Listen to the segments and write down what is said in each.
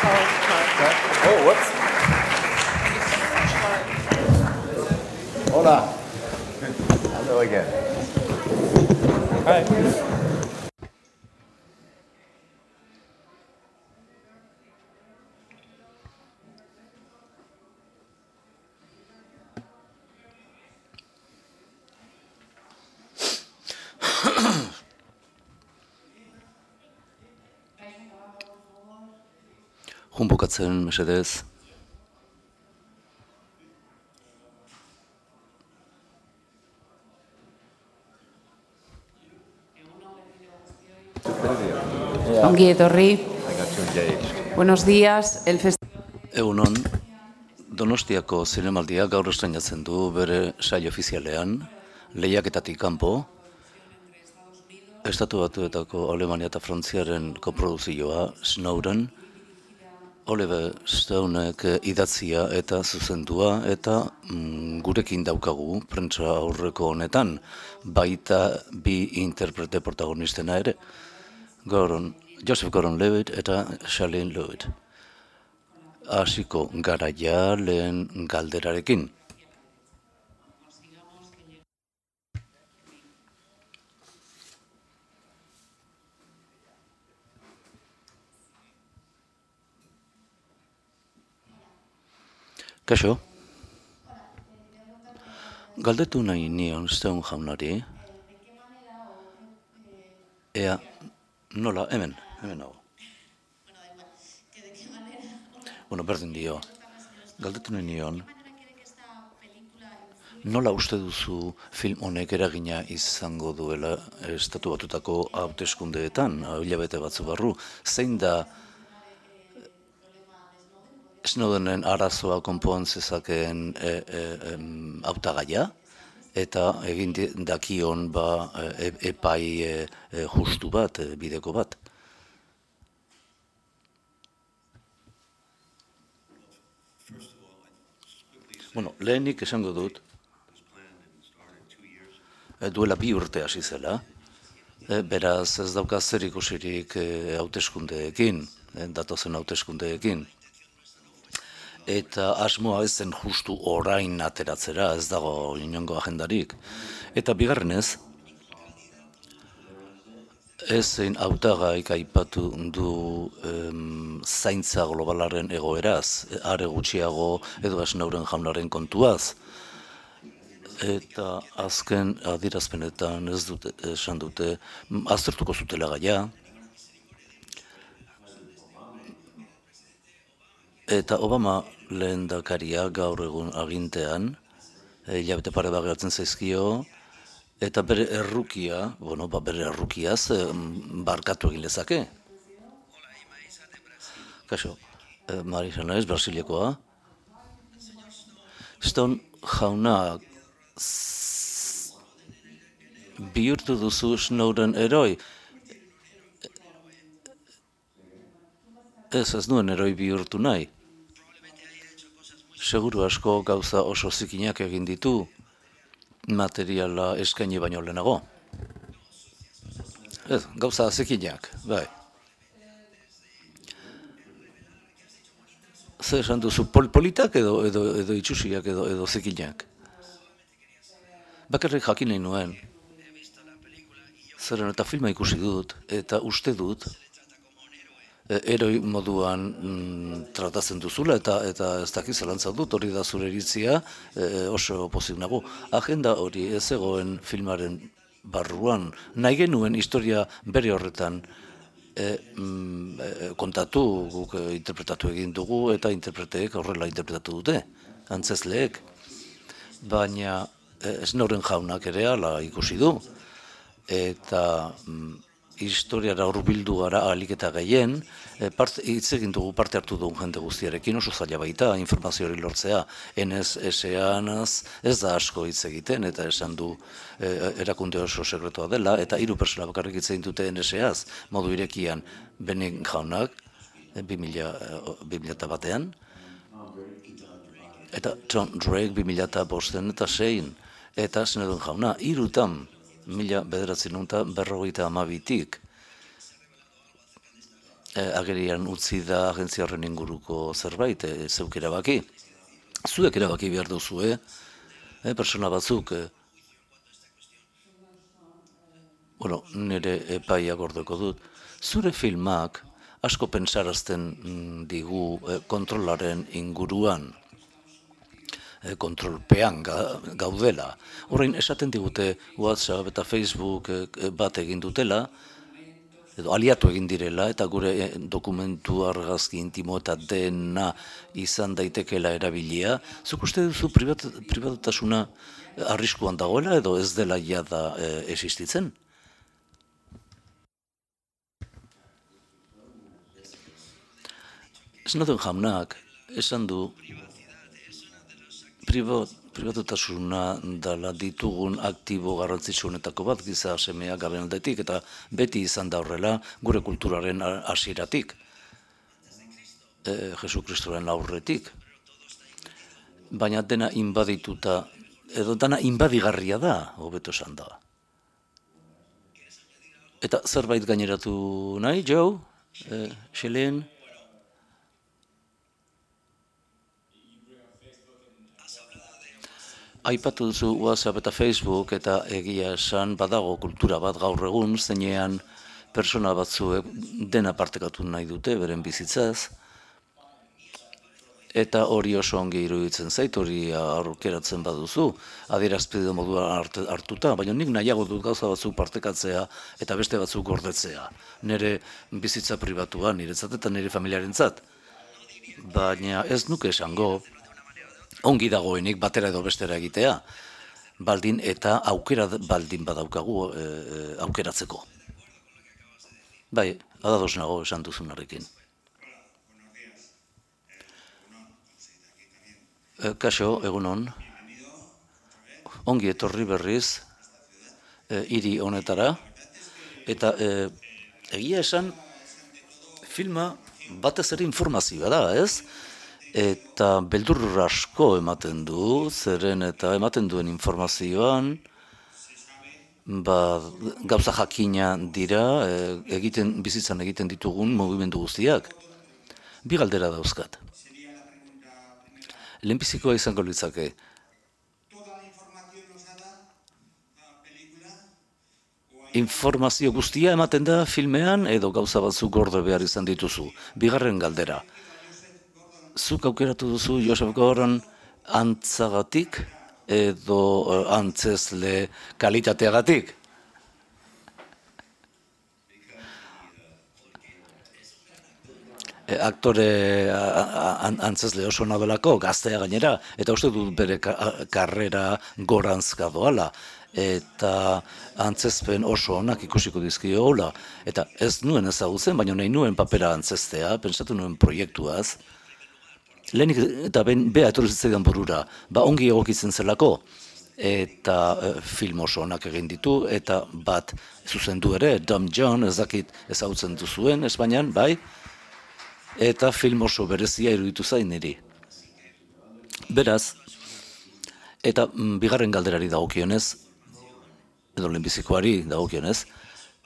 Oh, whoops. Hola. Hello again. Hi. Bukatzen, mesedez. Ongi etorri. I got you engaged. Buenos días. Egunon, Donostiako zinemaldia gaur estreinatzen du bere saio ofizialean, lehiaketatik kanpo, Estatu Batuetako Alemania eta Frantziaren koprodukzioa Snowden, Oliver Stonek idatzia eta zuzendua eta gurekin daukagu prentsa aurreko honetan, baita bi interprete protagonistena ere, Joseph Gordon-Levitt eta Charlene Lewitt. Hasiko gara ja lehen galderarekin. Kaixo? Galdetu nahi nion Stone jaunari. Ea, nola, hemen nago. Bueno, berdin dio. Galdetu nahi nion. Nola uste duzu film honek eragina izango duela Estatu Batutako hauteskundeetan, hilabete batzu barru? Zein da Snowdenen arazoa konpon zezakeen hautagaia? Eta egin dakion epai justu bat, bideko bat. Bueno, lehenik esango dut, duela 2 urte hasi zela, beraz ez dauka zer ikusirik hauteskundeekin, datozen hauteskundeekin. Eta asmoa ez zen justu orain ateratzera, ez dago inongo agendarik. Eta bigarrenez, ezein hautagaik aipatu du zaintza globalaren egoeraz, are gutxiago Edward Snowden jaunaren kontuaz. Eta azken adierazpenetan ez dute esan dute aztertuko zutela gaia. Eta Obama lehendakaria gaur egun agintean, hilabete pare bat geratzen zaizkio, eta bere errukia, bere errukiaz barkatu egin lezake. Kaixo, Marisa naiz, Brasilekoa. Stone jauna, bihurtu duzu Snowden heroi. Ez nuen heroi bihurtu nahi. Seguru asko gauza oso zikinak egin ditu, materiala eskaini baino lehenago. Ez, gauza zikinak, bai. Zer esan duzu, politak edo itxusiak edo zikinak? Bakarrik jakin nahi nuen. Zeren eta filma ikusi dut, eta uste dut, heroi moduan tratatzen duzula, eta ez dakiz zelantza dut, hori da zure iritzia, oso pozik nago. Agenda hori ez egoen filmaren barruan, nahi genuen historia bere horretan kontatu, guk interpretatu egin dugu, eta interpreteek horrela interpretatu dute, antzezleek. Baina Snowden jaunak ere ala ikusi du, eta historiara hurbildu gara ahalik eta gehien, hitz egin dugu parte hartu dugun jende guztiarekin, oso zaila baita informazio hori lortzea. NSA-anaz ez da asko hitz egiten, eta esan du erakunde oso sekretoa dela, eta 3 pertsona bakarrik hitz egin dute NSA-az, modu irekian Benning jaunak, 2001-an, eta John Drake 2005 eta 2006, eta Snowden jauna, 3 1952-tik. agerian utzi da agentzia horren inguruko zerbait, zeuk erabaki. Zuek erabaki behar duzue, persona batzuk, nire epaia gordeko dut, zure filmak asko pentsarazten digu kontrolaren inguruan, kontrolpean gaudela. Horrein, esaten digute WhatsApp eta Facebook bat egin dutela, edo aliatu egin direla, eta gure dokumentu argazki intimo eta dena izan daitekela erabilia. Zuk uste duzu pribatutasuna arriskuan dagoela, edo ez dela jada existitzen? Snowden jaunak esan du pribatutasuna dela ditugun aktibo garrantzitsuenetako bat giza semea garen aldetik, eta beti izan da horrela gure kulturaren hasieratik, Jesu Kristoren aurretik. Baina dena inbadituta, edo dena inbadigarria da, hobeto esan da. Eta zerbait gaineratu nahi, Joe? Xelen? Aipatu duzu WhatsApp eta Facebook, eta egia esan badago kultura bat gaur egun, zeinean persona batzuek dena partekatu nahi dute beren bizitzaz, eta hori oso ongi iruditzen zait, hori aurkeratzen baduzu, adierazpide moduan hartuta, baina nik nahiago dut gauza batzuk partekatzea eta beste batzuk gordetzea, nire bizitza pribatua, niretzat eta nire familiarentzat. Baina ez nuke esango, ongi dagoenik batera edo bestera egitea, baldin eta aukera baldin badaukagu aukeratzeko. Bai, ados nago esan duzunarekin. Kaixo, egunon. Ongi etorri berriz hiri honetara, eta egia esan filma batez ere informazioa da, ez? Eta beldur asko ematen du, zeren eta ematen duen informazioan, gauza jakina dira, bizitzan egiten ditugun mugimendu guztiak. Bi galdera dauzkat. Lehenbizikoa izango litzake. Informazio guztia ematen da filmean edo gauza batzuk gorde behar izan dituzu. Bigarren galdera. Zuk aukeratu duzu Joseph Gordon antzagatik edo antzezle kalitateagatik? Aktore antzezle oso nadelako, gaztea gainera, eta uste dut bere karrera gorantzka doala, eta antzezpen oso onak ikusiko dizkio hola, eta ez nuen ezagutzen, baina nahi nuen papera antzeztea, pentsatu nuen proiektuaz, lehenik eta beha etorri zitzaidan burura, ongi egokitzen zelako, eta film oso onak egin ditu, eta bat zuzendu ere, Dumb John, ez dakit ezagutzen duzuen Espainian, bai, eta film oso berezia iruditu zain niri. Beraz, eta bigarren galderari dagokionez, edo lehenbizikoari dagokionez,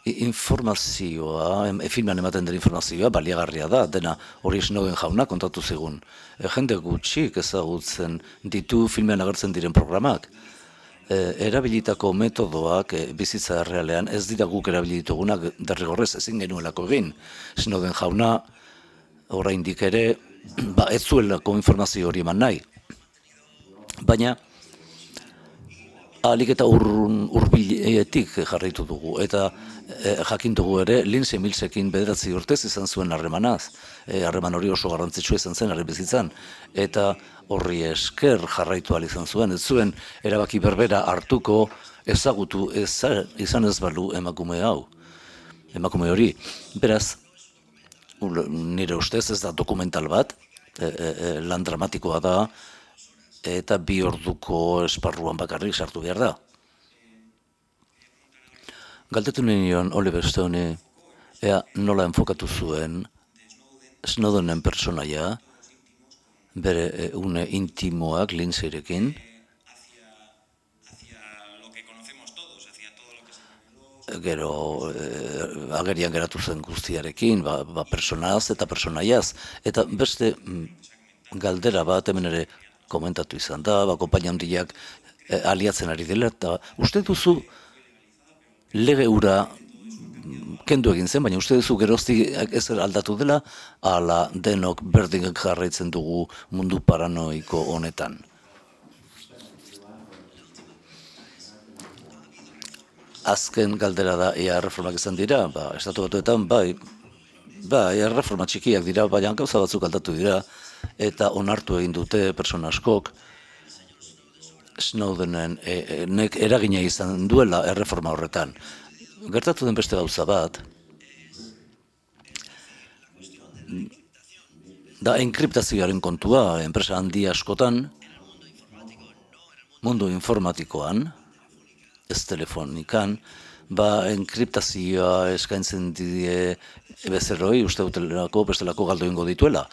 informazioa, filman ematen den informazioa baliagarria da, dena hori Snowden jauna kontatu zigun. Jende gutxik ezagutzen ditu filmean agertzen diren programak. Erabilitako metodoak bizitza errealean ez dira guk erabili ditugunak derrigorrez ezin genuelako egin. Snowden jauna oraindik ere ez zuelako informazio hori eman nahi. Baina ahalik eta hurbiletik jarraitu dugu, eta jakin dugu ere Lindsay Millsekin 9 urtez izan zuen harremanaz. Harreman hori oso garrantzitsua izan zen harri bizitzan, eta horri esker jarraitu ahal izan zuen, ez zuen erabaki berbera hartuko ezagutu izan ez balu emakume hori. Beraz, nire ustez ez da dokumental bat, lan dramatikoa da, eta 2 orduko esparruan bakarrik sartu behar da. Galdetu nion Oliver Stone ea nola enfokatu zuen Snowdenen personaia, bere une intimoak Lindsayrekin, gero agerian geratu zen guztiarekin, personaz eta personaiaz, eta beste galdera bat hemen ere komentatu izan da, konpainia handiak aliatzen ari dela, eta uste duzu lege hura kendu egin zen, baina uste duzu geroztik ezer aldatu dela, ala denok berdin jarraitzen dugu mundu paranoiko honetan. Azken galdera da, ea reformak izan dira, estatu batuetan, ea reforma txikiak dira, baina gauza batzuk aldatu dira, eta onartu egin dute persona askok, Snowdenen eragina izan duela erreforma horretan. Gertatu den beste gauza bat, da enkriptazioaren kontua, enpresa handi askotan, mundu informatikoan, ez telefonikan, enkriptazioa eskaintzen die bezerroi, uste dutelako, bestelako galdo ingo dituela.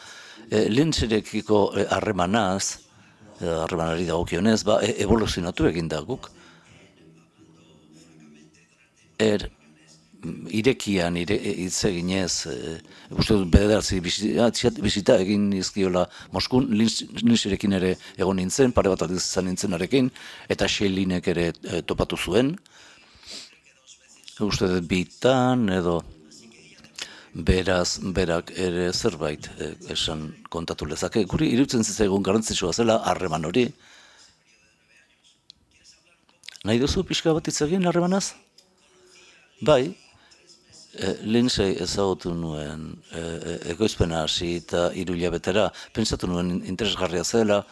Lintzerekiko harremanari dagokionez, evoluzionatu egin da guk. Irekian hitz eginez, uste dut bederatzi bisita egin izkiola Moskun, Lintzerekin ere egon nintzen, pare bat izan nintzenarekin, eta Xelinek ere topatu zuen. Uste dut bitan edo berak ere zerbait esan kontatu lezake. Guri iruditzen zitzaigun garrantzitsua zela harreman hori. Nahi duzu pixka bat hitz egin harremanaz? Bai, Lindsay ezagutu nuen ekoizpena hasi eta 3 hilabetera, pentsatu nuen interesgarria zela,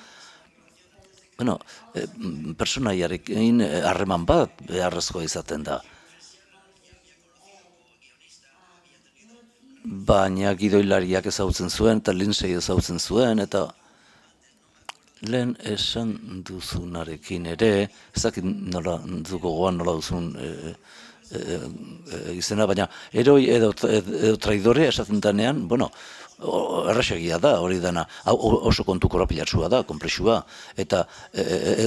personaiarekin harreman bat beharrezkoa izaten da. Baina gidoilariak ezagutzen zuen eta Lindsay ezagutzen zuen, eta lehen esan duzunarekin ere, ez dakit nola duzun izena, baina eroi edo traidore esaten denean, errasegia da hori dena, oso kontu korapilatsua da, konplexua, eta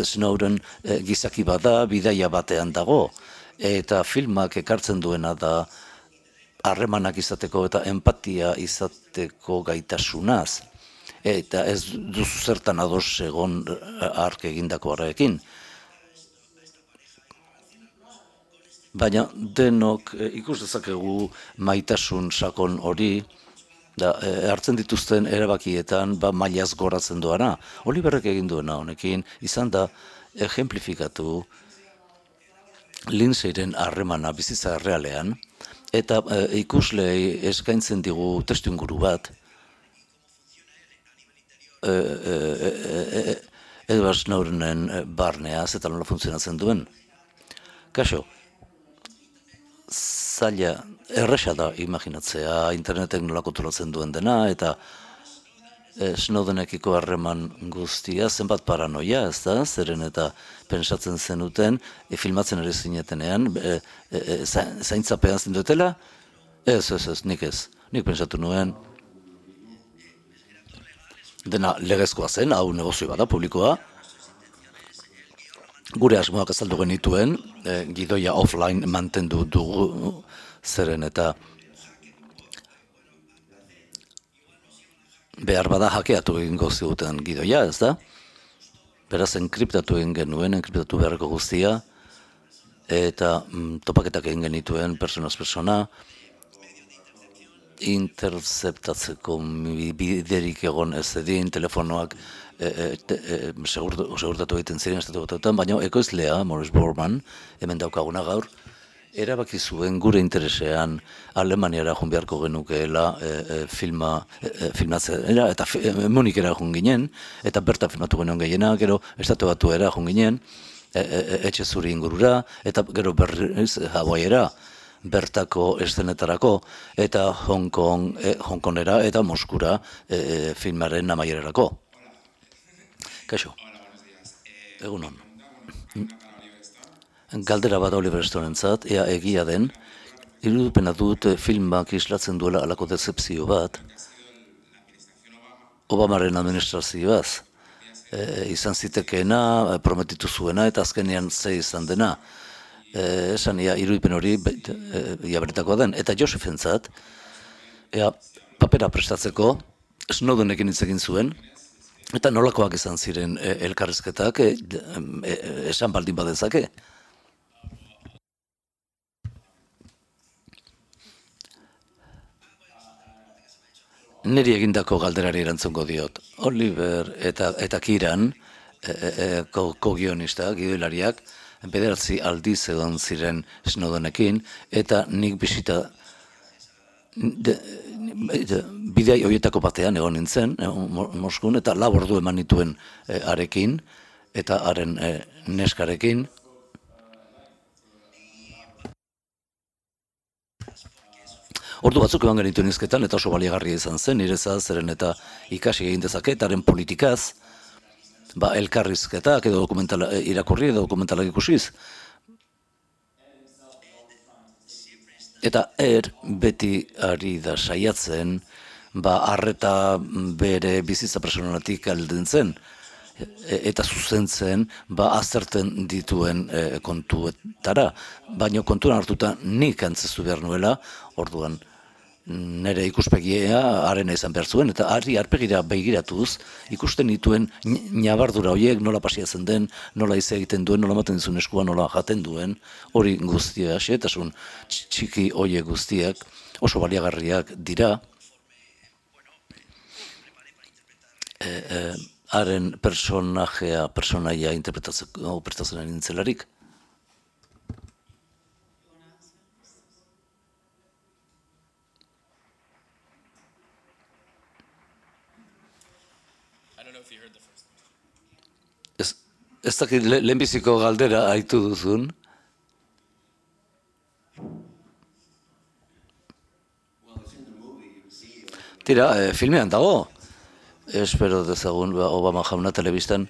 Snowden gizaki bada, bidaia batean dago, eta filmak ekartzen duena da harremanak izateko eta empatia izateko gaitasunaz, eta ez duzu zertan ados egon ark egindako horrekin. Baina denok ikus dezakegu maitasun sakon hori, hartzen dituzten erabakietan mailaz goratzen doana. Oliverrek egin duena honekin, izan da ejemplifikatu Lindsayren harremana bizitza errealean, eta ikuslei eskaintzen digu testuinguru bat, Edward Snowdenen barneaz eta nola funtzionatzen duen. Kaixo, zaila, erresa da imaginatzea internetek nola kontrolatzen duen dena, eta Snowdenekiko harreman guztia, zenbat paranoia, ez da, zeren eta pentsatzen zenuten, filmatzen ere zinetenean, zaintzapean zindutela? Ez, nik ez. Nik pentsatu nuen, dena legezkoa zen, hau negozio bada, publikoa. Gure asmoak azaldu genituen, gidoia offline mantendu dugu, zeren eta behar bada hakeatu egingo ziguten gidoia, ez da? Beraz, enkriptatu egin genuen, enkriptatu beharreko guztia, eta topaketak egin genituen personaz persona, interceptatzeko biderik egon ez edin, telefonoak segurtatu egiten ziren estatu batuetan, baina ekoizlea, Morris Borman, hemen daukaguna gaur, erabaki zuen gure interesean Alemaniara joan beharko genukeela filmatzera, eta Munikera joan ginen, eta bertan filmatu genuen gehiena, gero estatu batuera joan ginen, etxe zuri ingurura, eta gero berriz Hawaiiera, bertako eszenetarako, eta Hongkongera eta Moskura filmaren amaierarako. Kaixo, egunon. Galdera bat Oliver Stonentzat, ea egia den, irudipena dut filmak islatzen duela alako dezepzio bat, Obamaren administrazioaz. Izan zitekeena, prometitu zuena, eta azkenean ze izan dena. esan irudipen hori beretakoa den. Eta Josephentzat, papera prestatzeko Snowdenekin hitz egin zuen, eta nolakoak izan ziren elkarrizketak, esan baldin badezake. Niri egindako galderari erantzungo diot. Oliver eta Kiran, ko-guionistak, gidoilariak, 9 aldiz egon ziren Snowdenekin, eta nik bisita bidea horietako batean egon nintzen, Moskun, eta 4 ordu eman nituen harekin, eta haren neskarekin. Ordu batzuk eman genituen izketan, eta oso baliagarria izan zen, nirezaz, zeren eta ikasi egin dezake, eta haren politikaz, elkarrizketak edo irakurri edo dokumentalak ikusiz. Eta beti ari da saiatzen, arreta bere bizitza personalatik alden zen, eta zuzentzen, azterten dituen kontuetara. Baina kontuan hartuta nik antzestu behar nuela, orduan nire ikuspegia harena izan behar zuen, eta arpegira begiratuz, ikusten dituen nabardura horiek nola pasiatzen den, nola ize egiten duen, nola maten dizun eskua, nola jaten duen, hori guztia, xetasun txiki horiek guztiak oso baliagarriak dira, haren personaia interpretatzen nintzelarik. Ez dakit lehenbiziko galdera aitu duzun. Tira, filmean dago. Espero dezagun Obama jauna telebistan.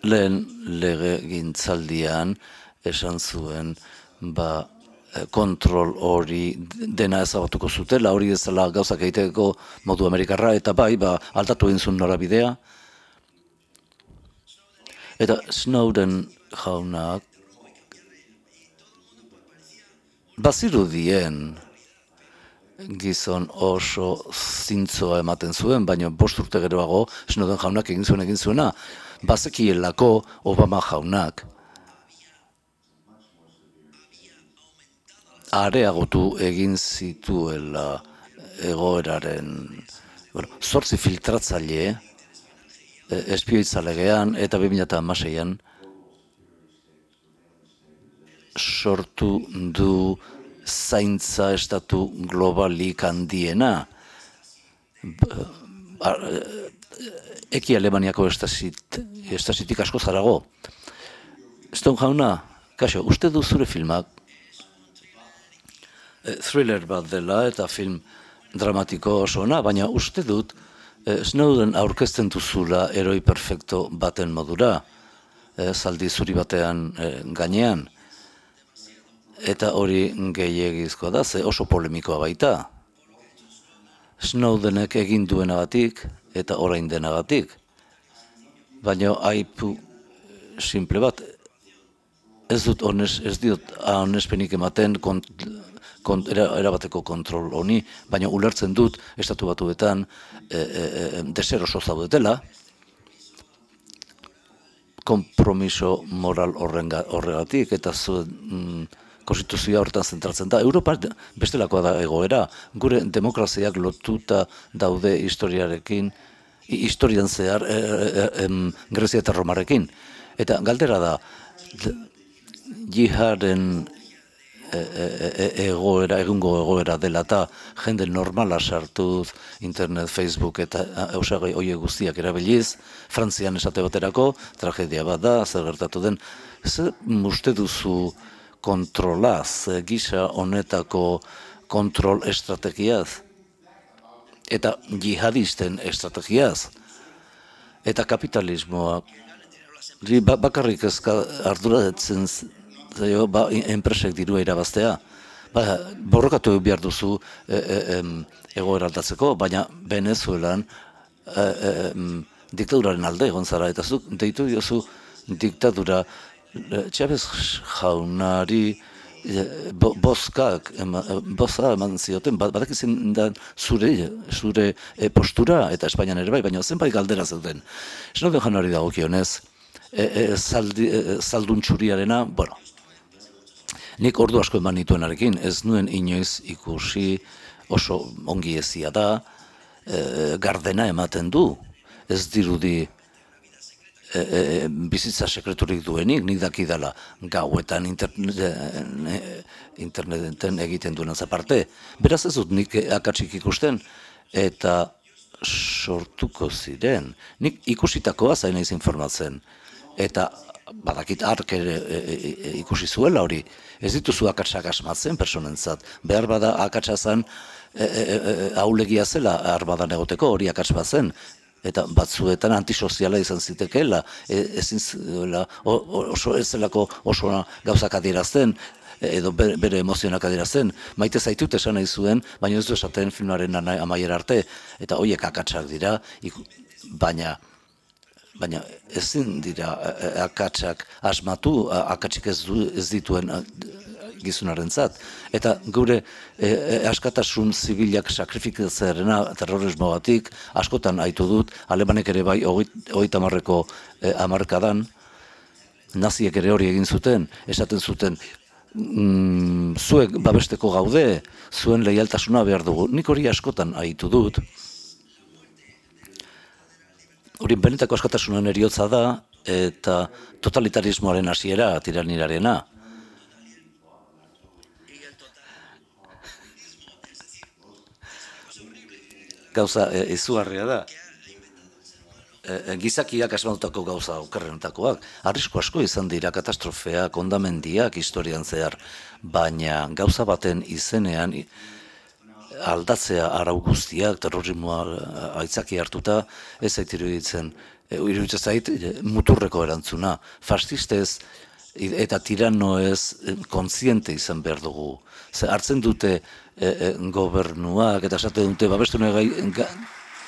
Lehen legegintzaldian esan zuen, kontrol hori dena ezabatuko zutela, hori ez dela gauzak egiteko modu amerikarra, eta aldatu egin zuen norabidea. Eta Snowden jaunak bazirudien gizon oso zintzoa ematen zuen, baina 5 urte geroago Snowden jaunak egin zuena, bazekielako Obama jaunak areagotu egin zituela egoeraren 8 filtratzaile espioitzalegean eta 2016an sortu du zaintza estatu globalik handiena. Eki Alemaniako estasitik asko zarago. Stone jauna, kaixo, uste du zure filmak thriller bat dela eta film dramatiko oso ona, baina uste dut Snowden aurkezten duzula heroi perfecto baten modura, zaldi zuri batean gainean, eta hori gehiegizkoa da, ze oso polemikoa baita. Snowdenek egin duenagatik eta orain denagatik, baina aipu simple bat, ez diot onespenik ematen erabateko kontrol honi, baina ulertzen dut estatu batuetan deseroso zaudetela, konpromiso moral horregatik, eta zuen konstituzioa horretan zentratzen da. Europa bestelakoa da egoera, gure demokraziak lotuta daude historiarekin, historian zehar Grezia eta Romarekin. Eta galdera da, jiharen egungo egoera dela eta jende normala sartuz internet, Facebook eta eusagai horiek guztiak erabiliz, Frantzian esate baterako, tragedia bat da, zer gertatu den, zer uste duzu kontrolaz, gisa honetako kontrol estrategiaz, eta jihadisten estrategiaz, eta kapitalismoa, bakarrik arduratzen enpresek dirua irabaztea. Borrokatu behar duzu egoera aldatzeko, baina Venezuelan diktaduraren alde egon zara, eta zuk deitu diozu diktadura Chavez jaunari bozka eman zioten, badakizin da zure postura, eta Espainian ere bai, baina zenbait galdera zeuden. Snowden jaunari dagokionez, zaldun txuriarena, bueno, nik ordu asko eman nituenarekin, ez nuen inoiz ikusi oso ongi ezia da, gardena ematen du, ez dirudi bizitza sekreturik duenik, nik dakidala gauetan interneten egiten duena aparte. Beraz ez dut nik akatsik ikusten, eta sortuko ziren. Nik ikusitakoa zain naiz informatzen, eta badakit ark ere ikusi zuela hori. Ez dituzu akatsak asmatzen personentzat. Behar bada akatsa zen ahulegia zela armadan egoteko, hori akats bat zen. Eta batzuetan antisoziala izan zitekeela, ezin zuela, oso ez zelako oso gauzak adierazten, edo bere emozionak adierazten. Maite zaitut esan nahi zuen, baina ez du esaten filmaren amaiera arte, eta horiek akatsak dira, baina ezin dira akatsak asmatu, akatsik ez dituen gizunarentzat. Eta gure askatasun zibilak sakrifikatzearena terrorismoagatik askotan aitu dut, alemanek ere bai 30-ko hamarkadan, naziek ere hori egin zuten, esaten zuten, zuek babesteko gaude, zuen leialtasuna behar dugu. Nik hori askotan aitu dut. Hori benetako askatasunan eriotza da, eta totalitarismoaren hasiera, tiranirarena. Gauza izugarria da. Gizakiak asmatutako gauza okerrenetakoak. Arrisku asko izan dira katastrofeak, hondamendiak historian zehar, baina gauza baten izenean aldatzea arau guztiak, terrorismoa aitzaki hartuta, ez zait iruditzen zait muturreko erantzuna. Fascistez eta tiranoez kontziente izan behar dugu. Hartzen dute gobernuak eta esaten dute babestu nahi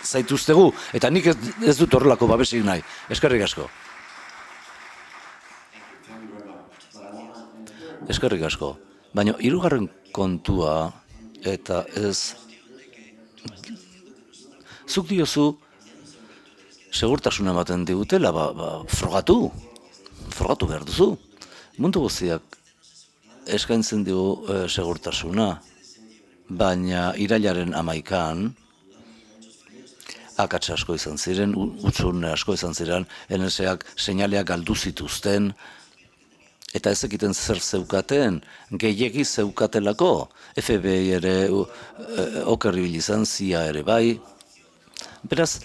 zaituztegu, eta nik ez dut horrelako babesik nahi. Eskerrik asko. Eskerrik asko. Baina hirugarren kontua, eta ez zuk diozu segurtasuna ematen digutela, frogatu behar duzu. Mundu guztiak eskaintzen dugu segurtasuna, baina irailaren 11an akats asko izan ziren, utxune asko izan ziren, NSAk seinaleak galdu zituzten, eta ez ekiten zer zeukaten, gehiegi zeukatelako, FBI ere okerribil izan, CIA ere bai. Beraz,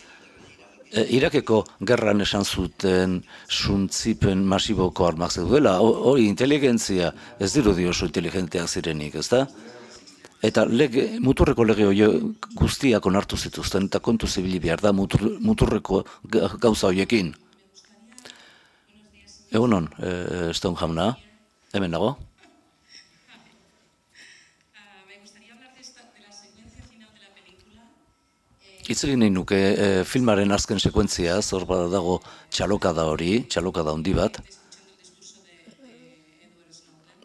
Irakeko gerran esan zuten suntzipen masiboko armak zeudela, hori inteligentzia ez dirudi oso inteligenteak zirenik, ez da? Eta muturreko lege guztiak onartu zituzten, eta kontu zibili behar da muturreko gauza horiekin. Egunon, Stone jauna, hemen dago? Hitz egin nahi nuke filmaren azken sekuentziaz, hor dago txalokada hori, txalokada handi bat.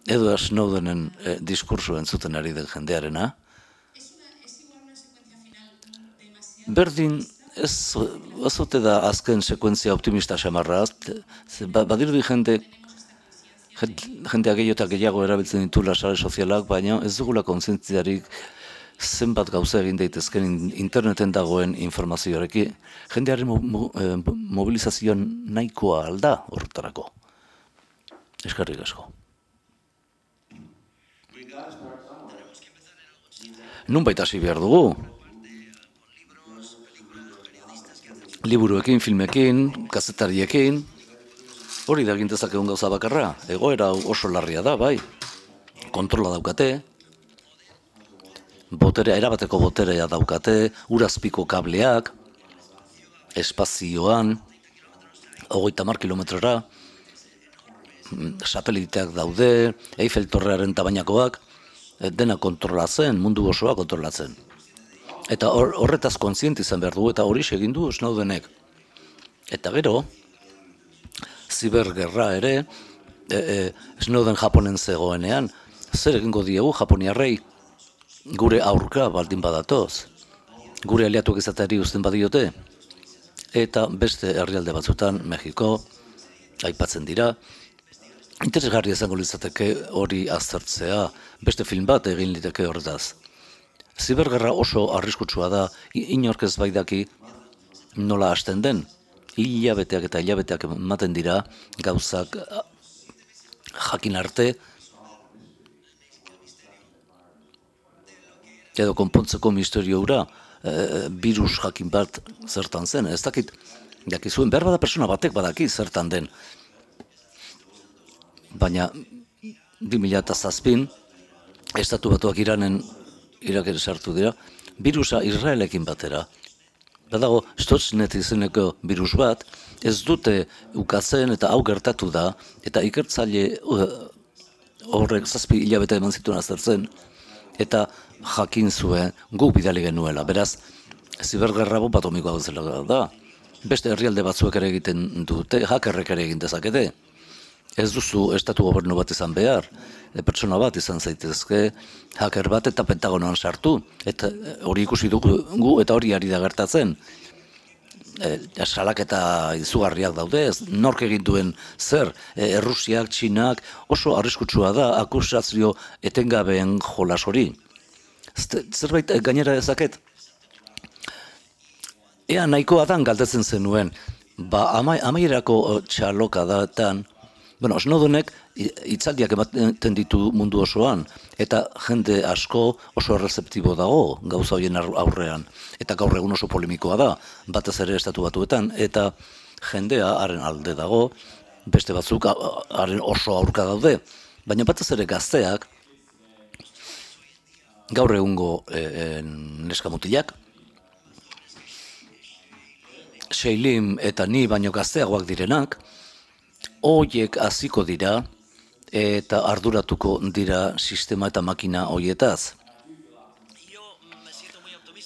Edward Snowdenen diskurso entzuten ari den jendearena. Berdin, ez ote da azken sekuentzia optimista xamarra, badirudi jendea gehiago eta gehiago erabiltzen ditula sare sozialak, baina ez dugula kontzientziarik zenbat gauza egin daitezken interneten dagoen informazioarekin. Jendearen mobilizazioan nahikoa alda horretarako. Eskerrik asko. Nunbait hasi behar dugu. Liburuekin, filmekin, kazetariekin, hori da gintezakegun gauza bakarra. Egoera oso larria da, bai. Kontrola daukate, erabateko boterea daukate, urazpiko kableak, espazioan, 30 kilometrora, sateliteak daude, Eiffel Torrearen tabainakoak, dena kontrolatzen, mundu osoa kontrolatzen. Eta horretaz kontziente izan behar dugu, eta hori egin du Snowdenek. Eta gero, zibergerra ere, Snowden Japonen zegoenean, zer egingo diegu Japoniarrei gure aurka baldin badatoz, gure aliatuak izateari uzten badiote, eta beste herrialde batzutan, Mexiko, aipatzen dira, interesgarria izango litzateke hori aztertzea, beste film bat egin liteke horretaz. Zibergerra oso arriskutsua da, inork ez baidaki nola hasten den, hilabeteak eta hilabeteak ematen dira gauzak jakin arte, edo konpontzeko misterio hura, virus jakin bat zertan zen, ez dakit, jakizuen, behar bada persona batek badaki zertan den. Baina 2007 Estatu Batuak Irak ere sartu dira, virusa Israelekin batera. Badago Stuxnet izeneko virus bat, ez dute ukatzen eta hau gertatu da, eta ikertzaile horrek 7 hilabete eman zituen aztertzen, eta jakin zuen guk bidali genuela. Beraz, zibergerra bomba atomikoa bezala da. Beste herrialde batzuek ere egiten dute, hackerrek ere egin dezakete. Ez duzu estatu gobernu bat izan behar, pertsona bat izan zaitezke, hacker bat eta Pentagonoan sartu, eta hori ikusi dugu eta hori ari da gertatzen. Salaketa izugarriak daude, nork egin duen zer, Errusiak, Txinak, oso arriskutsua da akusazio etengabeen jolas hori. Zerbait gainera dezaket? Ea nahikoa dan galdetzen zenuen, amaierako txalokadatan, Snowdenek hitzaldiak ematen ditu mundu osoan, eta jende asko oso errezeptibo dago gauza horien aurrean. Eta gaur egun oso polemikoa da, batez ere Estatu Batuetan, eta jendea haren alde dago, beste batzuk haren oso aurka daude. Baina batez ere gazteak, gaur egungo neskamutilak, Seilim eta ni baino gazteagoak direnak, hoiek hasiko dira eta arduratuko dira sistema eta makina hoietaz.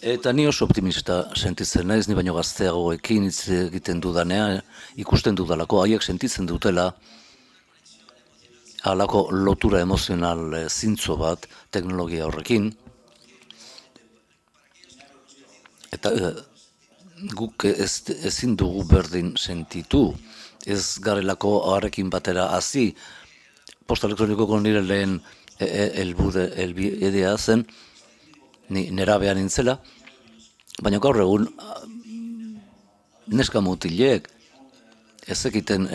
Eta ni oso optimista sentitzen naiz, ni baino gazteagoekin hitz egiten dudanean, ikusten dudalako, haiek sentitzen dutela halako lotura emozional zintzo bat teknologia horrekin. Eta guk ezin dugu berdin sentitu, ez garelako harekin batera hasi. Posta elektronikoko nire lehen helbidea zen, ni nerabea nintzela, baina gaur egun neska mutilek ez ekiten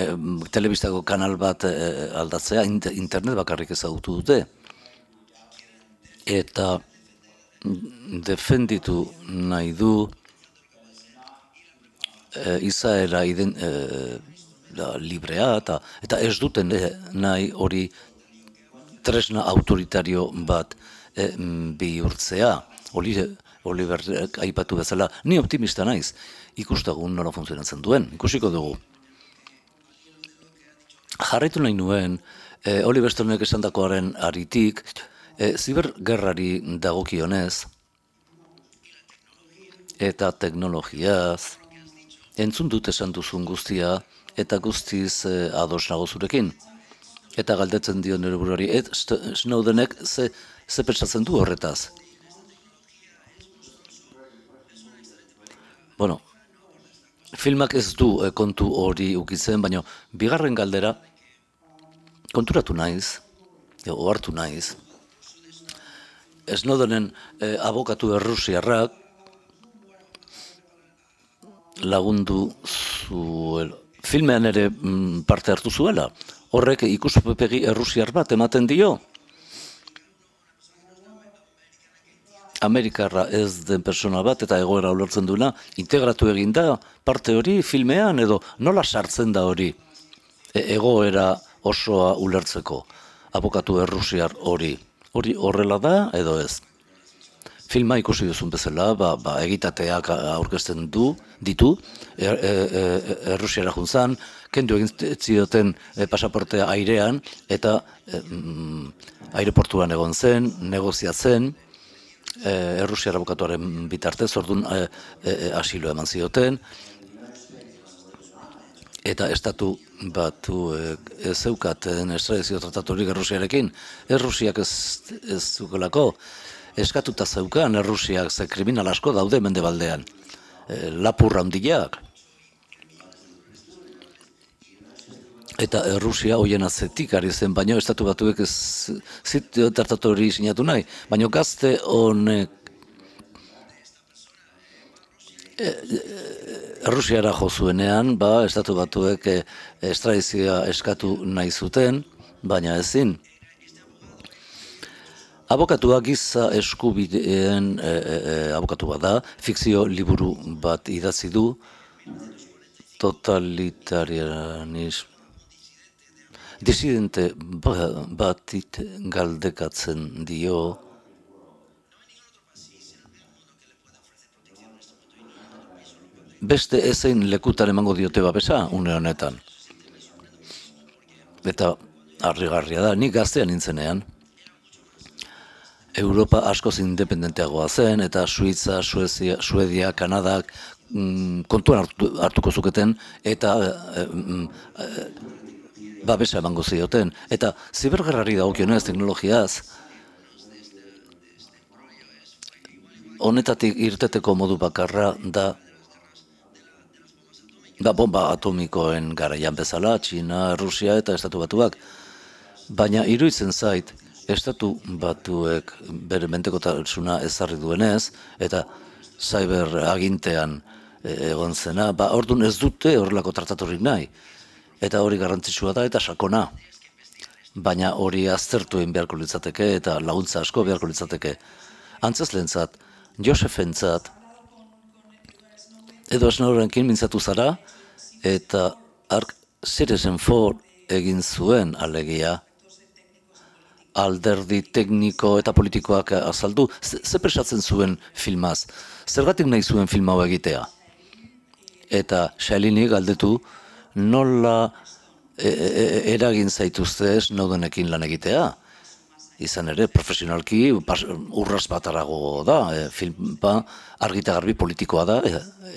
telebistako kanal bat aldatzea, internet bakarrik ezagutu dute. Eta defenditu nahi du izaera librea eta ez duten nahi hori tresna autoritario bat bihurtzea. Oliverrek aipatu bezala, ni optimista naiz, ikustagun nola funtzionatzen duen, ikusiko dugu. Jarraitu nahi nuen, Oliver Stonek esandakoaren aritik, zibergerrari dagokionez eta teknologiaz, entzun dut esan duzun guztia, eta guztiz ados nago zurekin. Eta galdetzen dio nire buruari, Snowdenek ze pentsatzen du horretaz. Filmak ez du kontu hori ukitzen, baina bigarren galdera konturatu naiz, ohartu naiz. Snowdenen abokatu errusiarrak lagundu zuela. Filmean ere parte hartu zuela. Horrek ikuspegi errusiar bat ematen dio. Amerikarra ez den persona bat eta egoera ulertzen duena, integratu egin da parte hori filmean edo nola sartzen da hori egoera osoa ulertzeko. Abokatu errusiar hori. Hori horrela da edo ez. Filma ikusi duzun bezala, egitateak aurkezten ditu, Errusiara juntzan, kendu egin zioten pasaportea airean, eta aireportuan egon zen, negoziatzen, Errusiara abokatuaren bitartez, orduan asilo eman zioten, eta estatu batu ez zeukaten estradizio trataturik Errusiarekin, Errusiak ez zukelako, eskatuta zeukan Errusiak ze kriminal asko daude mendebaldean, lapurra handiak. Eta Errusia hoien atzetik ari zen, baina estatu batuek ez tratatu hori sinatu nahi, baina gazte honek Errusiara jo zuenean, estatu batuek estradizioa eskatu nahi zuten, baina ezin. Abokatua giza eskubideen abokatua da, fikzio liburu bat idatzi du, totalitarianismo. Disidente batit galdekatzen dio, beste ezein lekutan emango diote babesa une honetan. Eta harrigarria da, nik gaztean nintzenean, Europa askoz independenteagoa zen, eta Suitza, Suedia, Kanadak kontuan hartuko zuketen, eta babesa emango zioten. Eta zibergerrari dagokionez teknologiaz, honetatik irteteko modu bakarra da bomba atomikoen garaian bezala, Txina, Rusia eta Estatu Batuak. Baina iruditzen zait, Estatu Batuek bere menpekotasuna ezarri duenez, eta cyber agintean egon zena, orduan ez dute horrelako trataturik nahi. Eta hori garrantzitsua da eta sakona. Baina hori aztertu egin beharko litzateke eta laguntza asko beharko litzateke. Antzezlentzat, Josefentzat, edo Snowdenkin mintzatu zara, eta Citizen 4 egin zuen alegia, alderdi tekniko eta politikoak azaldu, ze presatzen zuen filmaz, zergatik nahi zuen film hau egitea. Eta Shailini galdetu, nola eragin zaituzte Snowdenekin lan egitea. Izan ere, profesionalki urraz batarago da, filma argita garbi politikoa da,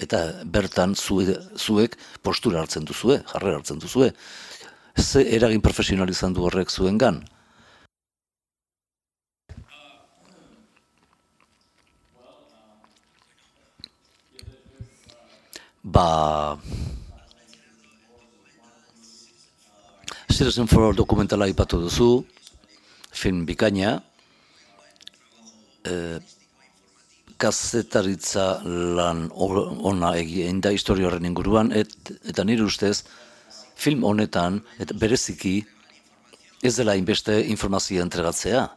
eta bertan zuek postura hartzen duzue, jarrera hartzen duzue. Ze eragin profesional izan du horrek zuengan? Citizen 4 dokumentala aipatu duzu, film bikaina, kazetaritza lan ona egin da historia horren inguruan, eta nire ustez, film honetan, eta bereziki, ez dela inbeste informazioa entregatzea.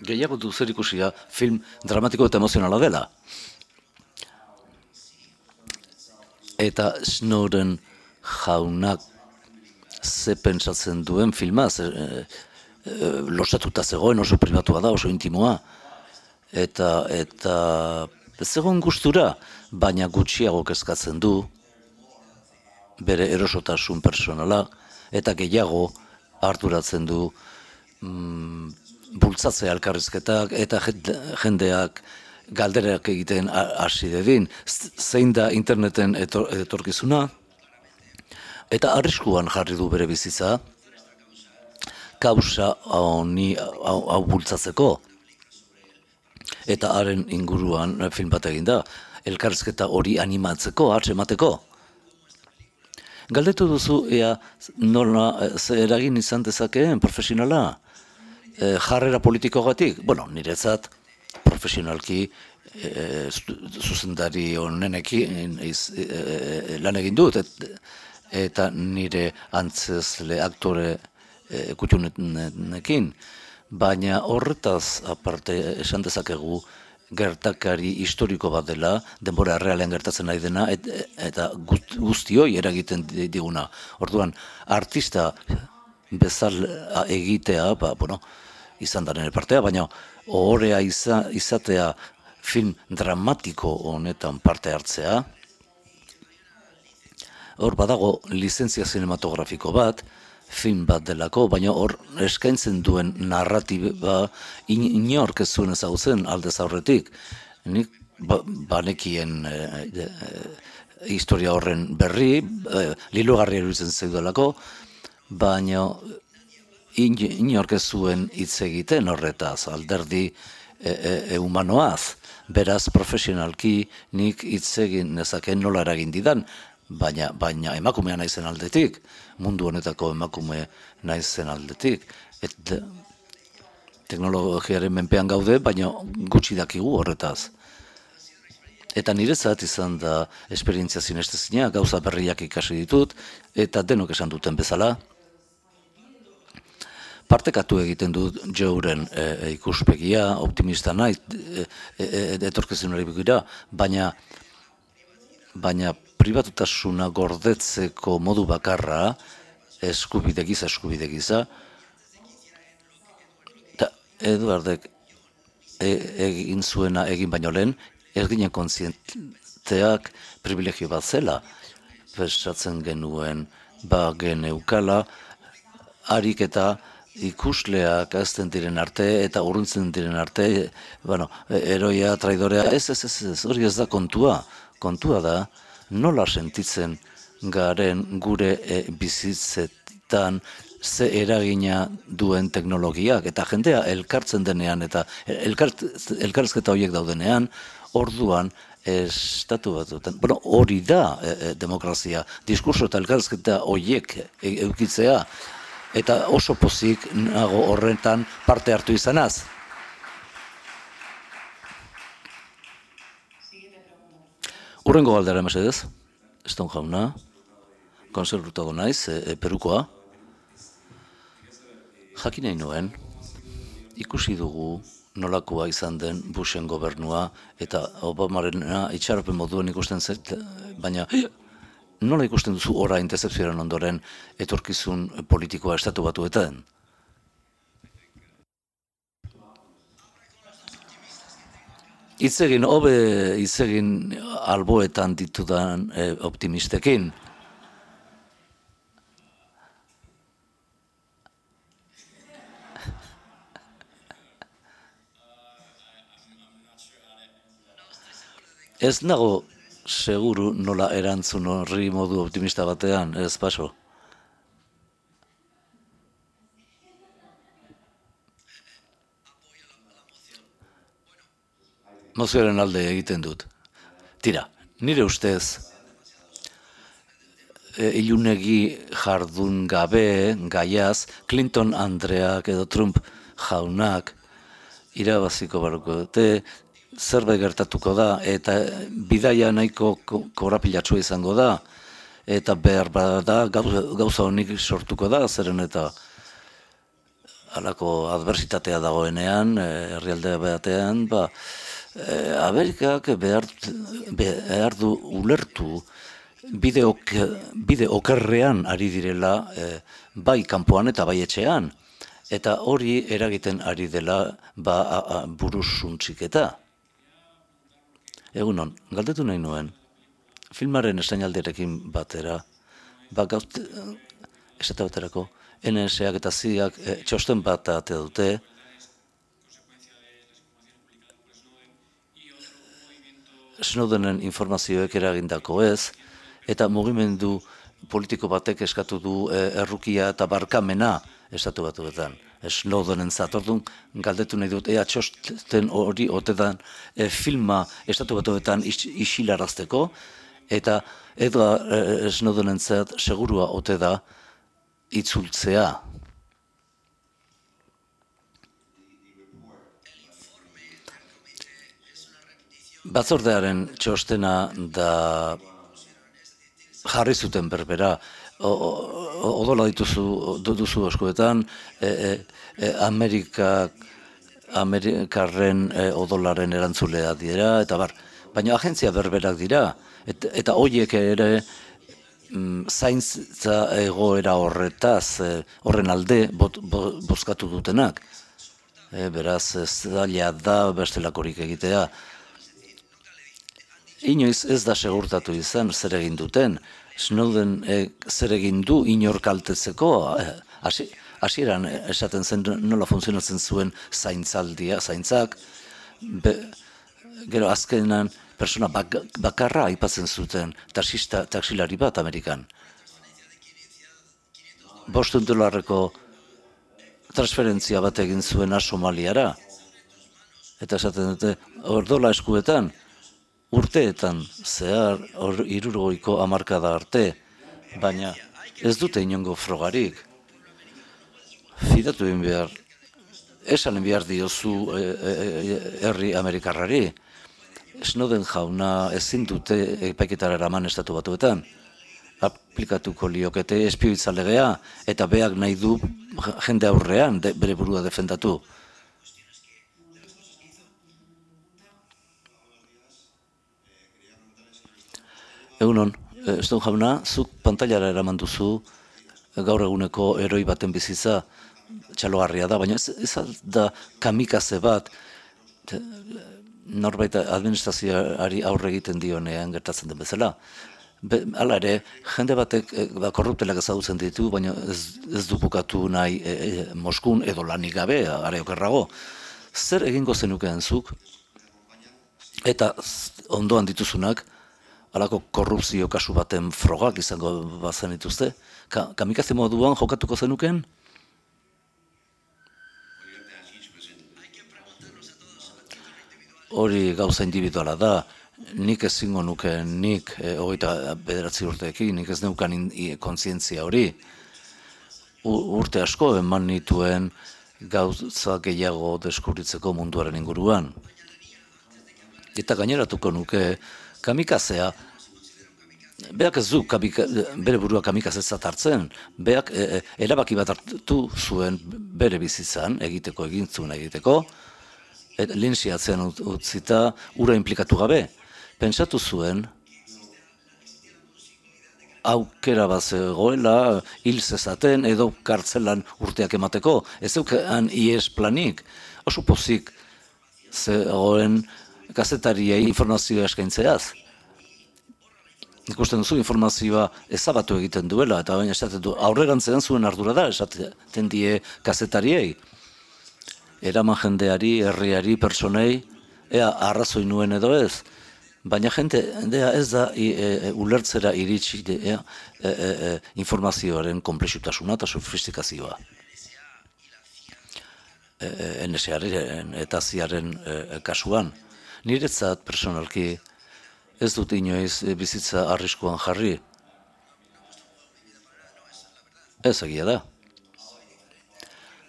Gehiago du zer ikusia film dramatiko eta emozionala dela. Eta Snowden jaunak ze pentsatzen duen filmaz, losatuta zegoen, oso pribatua da, oso intimoa, eta zegoen gustura, baina gutxiago kezkatzen du, bere erosotasun personala, eta gehiago arduratzen du bultzatzea elkarrizketak, eta jendeak galderak egiten hasi dedin, zein da interneten etorkizuna, eta arriskuan jarri du bere bizitza, kausa hau bultzatzeko. Eta haren inguruan film bat egin da, elkarrizketa hori animatzeko, atzemateko. Galdetu duzu, nola eragin izan dezakeen profesionala, jarrera politikoagatik? Bueno, niretzat profesionalki zuzendari honenekin lan egin dut, eta nire antzezle aktore kutxunekin, baina horretaz aparte esan dezakegu gertakari historiko bat dela, denbora errealean gertatzen nahi dena, eta guztioi eragiten diguna. Orduan, artista bezala egitea, izan da nire partea, baina ohorea izatea film dramatiko honetan parte hartzea, hor badago lizentzia zinematografiko bat, film bat delako, baina hor eskaintzen duen narratiba inork ez zuen ezagutzen aldez aurretik. Nik banekien historia horren berri, lilogarria iruditzen zeudalako, baina inork ez zuen hitz egiten horretaz, alderdi humanoaz. Beraz, profesionalki nik hitz egin nezakeen nola eragin didan, baina emakumea naizen aldetik, mundu honetako emakume naizen aldetik. Teknologiaren menpean gaude, baina gutxi dakigu horretaz. Eta niretzat izan da esperientzia sinestezina, gauza berriak ikasi ditut, eta denok esan duten bezala. Partekatu egiten dut Joeren ikuspegia, optimista nahi, etorkizunari begira, baina pribatutasuna gordetzeko modu bakarra, eskubide giza, eta Eduardek egin zuena egin baino lehen, ez ginen kontzienteak privilegio bat zela, pensatzen genuen geneukala, harik eta ikusleak azten diren arte eta urruntzen diren arte, eroia, traidorea, ez, hori ez da kontua. Kontua da, nola sentitzen garen gure bizitzetan ze eragina duen teknologiak, eta jendea elkartzen denean, eta elkarrizketa horiek daudenean, orduan, estatu batuetan, hori da demokrazia, diskurso eta elkarrizketa horiek eukitzea, eta oso pozik nago horretan parte hartu izanaz. Urrengo galdera mesedez, Eston jauna, konservutago naiz, Perukoa. Jakin nahi nuen, ikusi dugu nolakoa izan den Bushen gobernua, eta Obamarena itxaropen moduen ikusten zait, baina nola ikusten duzu orain dezepzioaren ondoren etorkizun politikoa estatu batuetan? Hitz egin alboetan ditudan optimistekin. Ez nago seguru nola erantzun horri modu optimista batean, ez paso. Mozioaren alde egiten dut. Tira, nire ustez, ilunegi jardun gabe, gaiaz, Clinton Andreak edo Trump jaunak irabaziko barruko dute, zerbait gertatuko da, eta bidaia nahiko korapilatsua izango da, eta behar bada gauza honik sortuko da, zeren eta halako adversitatea dagoenean, herrialde batean, Amerikak behar du ulertu bide okerrean ari direla bai kanpoan eta bai etxean, eta hori eragiten ari dela burusuntziketa. Egunon, galdetu nahi nuen, filmaren estrainaldiarekin batera, esate baterako, NSAk eta CIA-ak txosten bat ate dute, Snowdenen informazioek eragindako ez, eta mugimendu politiko batek eskatu du errukia eta barkamena estatu batuetan. Snowdenen zatordun galdetu nahi dut, ea txosten hori otedan filma estatu batuetan isilarazteko, eta Snowdenen zat segurua ote da itzultzea. Batzordearen txostena da jarri zuten berbera, odola duzu eskuetan, Amerikarren odolaren erantzulea dira, eta baina agentzia berberak dira, eta horiek ere zaintza egoera horretaz, horren alde bozkatu dutenak. Beraz, ez da bestelakorik egitea. Inoiz ez da segurtatu izan zer egin duten. Snowden zer egin du inor kaltetzeko. Hasieran esaten zen nola funtzionatzen zuen zaintzak. Gero azkenan persona bakarra aipatzen zuten taksilari bat Amerikan. $5 transferentzia bat egin zuena Somaliara. Eta esaten dute, ordola eskuetan, urteetan zehar 60 hamarkada arte, baina ez dute inongo frogarik. Fidatu egin behar, esan behar diozu herri Amerikarrari. Snowden jauna ezin dute epaiketara eraman Estatu Batuetan. Aplikatuko liokete espioitza legea eta beak nahi du jende aurrean bere burua defendatu. Egunon, Snowden jauna, zuk pantailara eraman duzu gaur eguneko heroi baten bizitza txalogarria da, baina ez da kamikaze bat norbait administrazioari aurre egiten dionean gertatzen den bezala. Hala ere, jende batek korruptelak ezagutzen ditu, baina ez du bukatu nahi Moskun edo lanik gabe, are okerrago. Zer egingo zenukeen zuk? Eta ondoan dituzunak, halako korrupzio kasu baten frogak izango bazen dituzte? Kamikaze moduan jokatuko zenukeen? Hori gauza individuala da. Nik ezingo nuke, nik 29 urteekin, nik ez neukan kontzientzia hori. Urte asko eman nituen gauza gehiago deskubritzeko munduaren inguruan. Eta gaineratuko nuke kamikazea, beak ez du bere burua kamikazetzat hartzen, beak erabaki bat hartu zuen bere bizitzan egintzuna egiteko, linxiatzen utzita ura inplikatu gabe. Pentsatu zuen, aukera bat zegoela, hil zezaten edo kartzelan urteak emateko. Ez zeukan ies planik, oso pozik zegoen kazetariei informazioa eskaintzeaz. Ikusten duzu informazioa ezabatu egiten duela, eta baina esaten du, aurrerantzean zuen ardura da, esaten die kazetariei. Eraman jendeari, herriari, personei, ea arrazoi nuen edo ez. Baina jendea ez da ulertzera iritsi informazioaren konplexutasuna eta sofistikazioa. NSA-ren eta CIA-ren kasuan. Niretzat personalki ez dut inoiz bizitza arriskuan jarri. Ez egia da.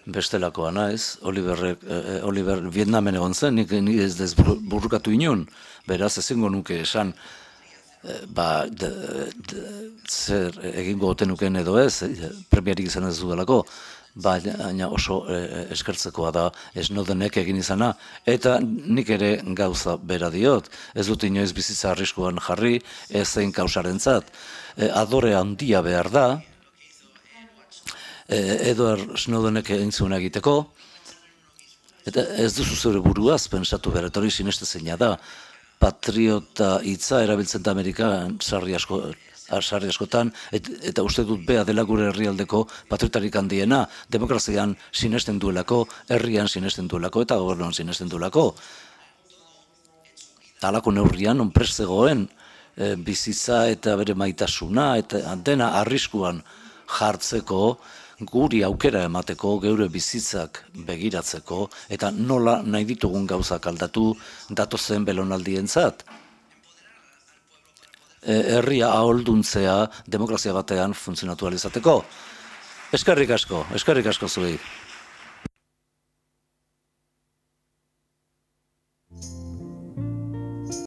Bestelakoa naiz, Oliver Vietnamen egon zen, nik ez burrukatu inun, beraz ezingo nuke esan, zer egingo oten nuken edo ez, premiarik izan ez dudalako, baina oso eskertzekoa da Snowdenek egin izana, eta nik ere gauza bera diot, ez dut inoiz bizitza arriskuan jarri, ez zein kausarentzat, adore handia behar da, Edward Snowdenek egin zuen egiteko, eta ez duzu zure buruaz pentsatu behar, eta hori sinestezeina da, patriota hitza erabiltzen da Amerikan sarri askotan, eta uste dut bea dela gure herrialdeko patriotarik handiena, demokrazian sinesten duelako, herrian sinesten duelako, eta gobernuan sinesten duelako. Halako neurrian, onprest zegoen, bizitza eta bere maitasuna, eta dena arriskuan jartzeko, guri aukera emateko, geure bizitzak begiratzeko, eta nola nahi ditugun gauzak aldatu datozen belonaldientzat. Herria aholduntzea demokrazia batean funtzionatu ahal izateko. Eskerrik asko zuei.